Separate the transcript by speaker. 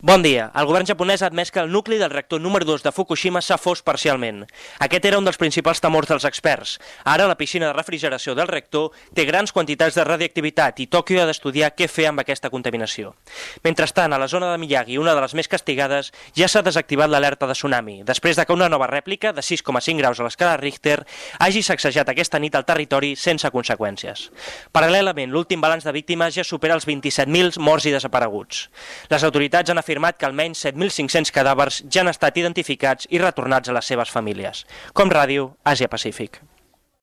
Speaker 1: Bon dia. El govern japonès ha admès que el nucli del reactor número 2 de Fukushima s'ha fos parcialment. Aquest era un dels principals temors dels experts. Ara la piscina de refrigeració del reactor té grans quantitats de radioactivitat i Tòquio ha d'estudiar què fer amb aquesta contaminació. Mentrestant, a la zona de Miyagi, una de les més castigades, ja s'ha desactivat l'alerta de tsunami, després de que una nova rèplica de 6,5 graus a l'escala Richter hagi sacsejat aquesta nit al territori sense conseqüències. Paral·lelament, l'últim balanç de víctimes ja supera els 27.000 morts i desapareguts. Les autoritats han afirmat que almenys 7.500 cadàvers ja han estat identificats i retornats a les seves famílies. Com Ràdio, Àsia Pacífic.